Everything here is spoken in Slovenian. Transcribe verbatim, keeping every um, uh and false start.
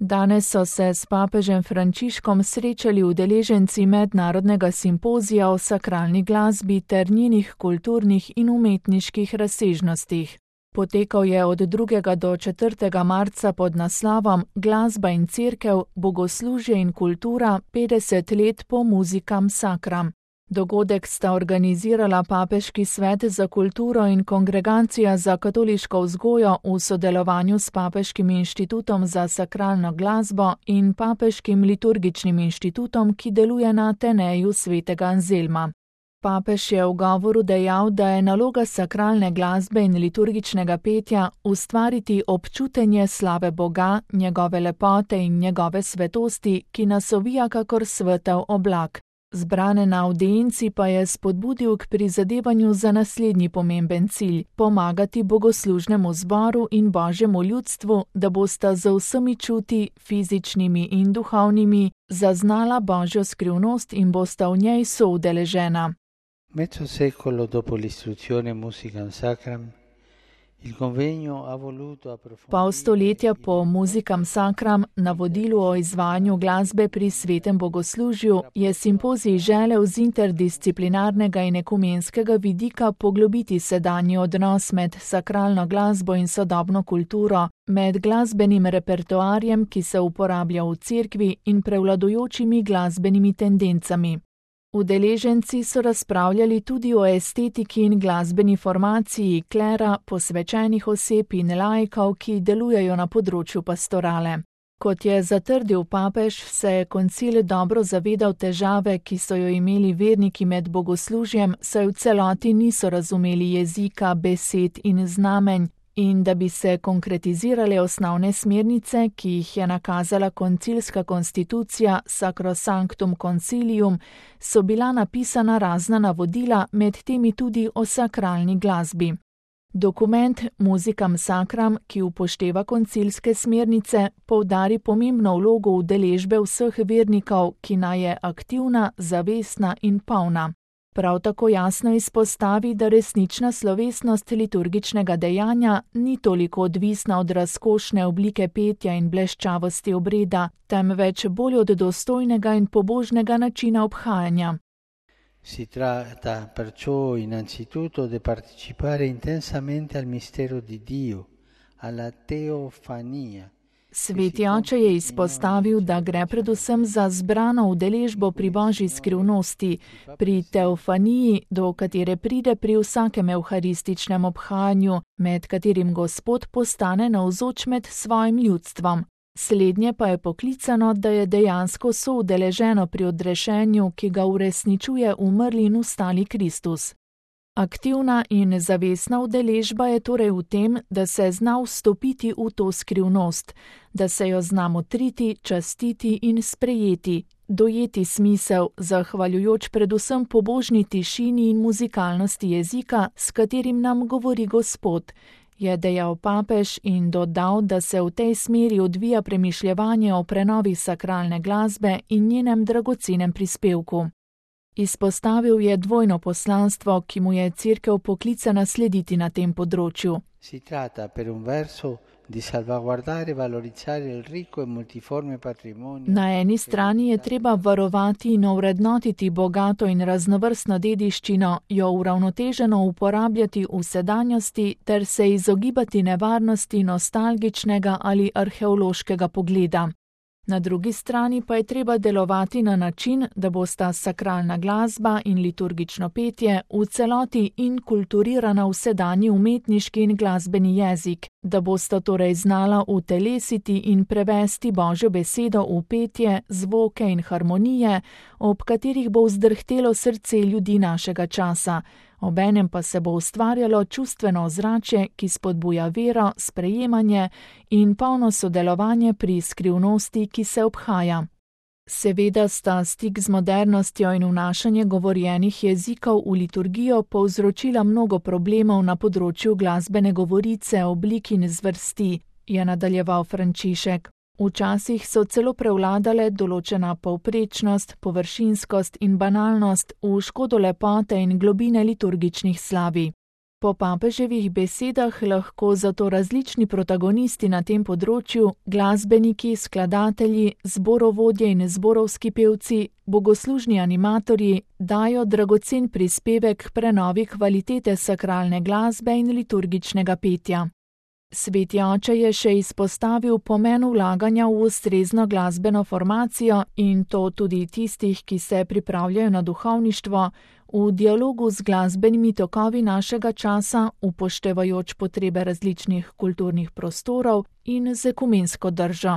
Danes so se s papežem Frančiškom srečali udeleženci mednarodnega simpozija o sakralni glasbi ter njenih kulturnih in umetniških razsežnostih. Potekal je od drugega do četrtega marca pod naslovom Glasba in cerkev, bogoslužje in kultura petdeset let po Musicam Sacram. Dogodek sta organizirala Papeški svet za kulturo in Kongregacija za katoliško vzgojo v sodelovanju s Papeškim inštitutom za sakralno glasbo in Papeškim liturgičnim inštitutom, ki deluje na Ateneju svetega Anzelma. Papež je v govoru dejal, da je naloga sakralne glasbe in liturgičnega petja ustvariti občutenje slave Boga, njegove lepote in njegove svetosti, ki nas ovija kakor svetel oblak. Zbrane na avdienci pa je spodbudil k prizadevanju za naslednji pomemben cilj – pomagati bogoslužnemu zboru in božjemu ljudstvu, da bosta z vsemi čuti, fizičnimi in duhovnimi, zaznala božjo skrivnost in bosta v njej soudeležena. Mezzo secolo dopo l'istruzione Musicam Sacram, il convegno ha voluto approfondire. Pol stoletja po Musicam Sacram, navodilu o izvajanju glasbe pri svetem bogoslužju, je simpozij želel z interdisciplinarnega in ekumenskega vidika poglobiti sedanji odnos med sakralno glasbo in sodobno kulturo, med glasbenim repertoarjem, ki se uporablja v cerkvi, in prevladujočimi glasbenimi tendencami. Udeleženci so razpravljali tudi o estetiki in glasbeni formaciji klera, posvečenih oseb in laikov, ki delujejo na področju pastorale. Kot je zatrdil papež, se je koncil dobro zavedal težave, ki so jo imeli verniki med bogoslužjem, saj v celoti niso razumeli jezika, besed in znamenj, in da bi se konkretizirale osnovne smernice, ki jih je nakazala koncilska konstitucija Sacrosanctum Concilium, so bila napisana razna navodila, med temi tudi o sakralni glasbi. Dokument Musicam Sacram, ki upošteva koncilske smernice, poudari pomembno vlogo udeležbe vseh vernikov, ki naj je aktivna, zavestna in polna. Prav tako jasno izpostavi, da resnična slovesnost liturgičnega dejanja ni toliko odvisna od razkošne oblike petja in bleščavosti obreda, temveč bolj od dostojnega in pobožnega načina obhajanja. Si tratta perciò innanzitutto di partecipare intensamente al mistero di Dio, alla teofania. Sveti oče je izpostavil, da gre predvsem za zbrano udeležbo pri božji skrivnosti, pri teofaniji, do katere pride pri vsakem evharističnem obhajanju, med katerim Gospod postane navzoč med svojim ljudstvom. Slednje pa je poklicano, da je dejansko soudeleženo pri odrešenju, ki ga uresničuje umrli in vstali Kristus. Aktivna in zavestna udeležba je torej v tem, da se zna vstopiti v to skrivnost, da se jo zna motriti, častiti in sprejeti, dojeti smisel, zahvaljujoč predvsem pobožni tišini in muzikalnosti jezika, s katerim nam govori Gospod, je dejal papež in dodal, da se v tej smeri odvija premišljevanje o prenovi sakralne glasbe in njenem dragocenem prispevku. Izpostavil je dvojno poslanstvo, ki mu je cerkev poklicana slediti na tem področju. Si tratta per un verso di salvaguardare e valorizzare il ricco e multiforme patrimonio. Na eni strani je treba varovati in ovrednotiti bogato in raznovrstno dediščino, jo uravnoteženo uporabljati v sedanjosti ter se izogibati nevarnosti nostalgičnega ali arheološkega pogleda. Na drugi strani pa je treba delovati na način, da bosta sakralna glasba in liturgično petje v celoti inkulturirana v sedanji umetniški in glasbeni jezik, da bosta torej znala utelesiti in prevesti Božjo besedo v petje, zvoke in harmonije, ob katerih bo vzdrhtelo srce ljudi našega časa. Obenem pa se bo ustvarjalo čustveno ozračje, ki spodbuja vero, sprejemanje in polno sodelovanje pri skrivnosti, ki se obhaja. Seveda sta stik z modernostjo in vnašanje govorjenih jezikov v liturgijo povzročila mnogo problemov na področju glasbene govorice, oblik in zvrsti, je nadaljeval Frančišek. Včasih so celo prevladale določena povprečnost, površinskost in banalnost v škodo lepote in globine liturgičnih slavi. Po papeževih besedah lahko zato različni protagonisti na tem področju, glasbeniki, skladatelji, zborovodje in zborovski pevci, bogoslužni animatorji, dajo dragocen prispevek k prenovi kvalitete sakralne glasbe in liturgičnega petja. Sveti oče je še izpostavil pomen vlaganja v ustrezno glasbeno formacijo in to tudi tistih, ki se pripravljajo na duhovništvo, v dialogu z glasbenimi tokovi našega časa, upoštevajoč potrebe različnih kulturnih prostorov in z ekumensko držo.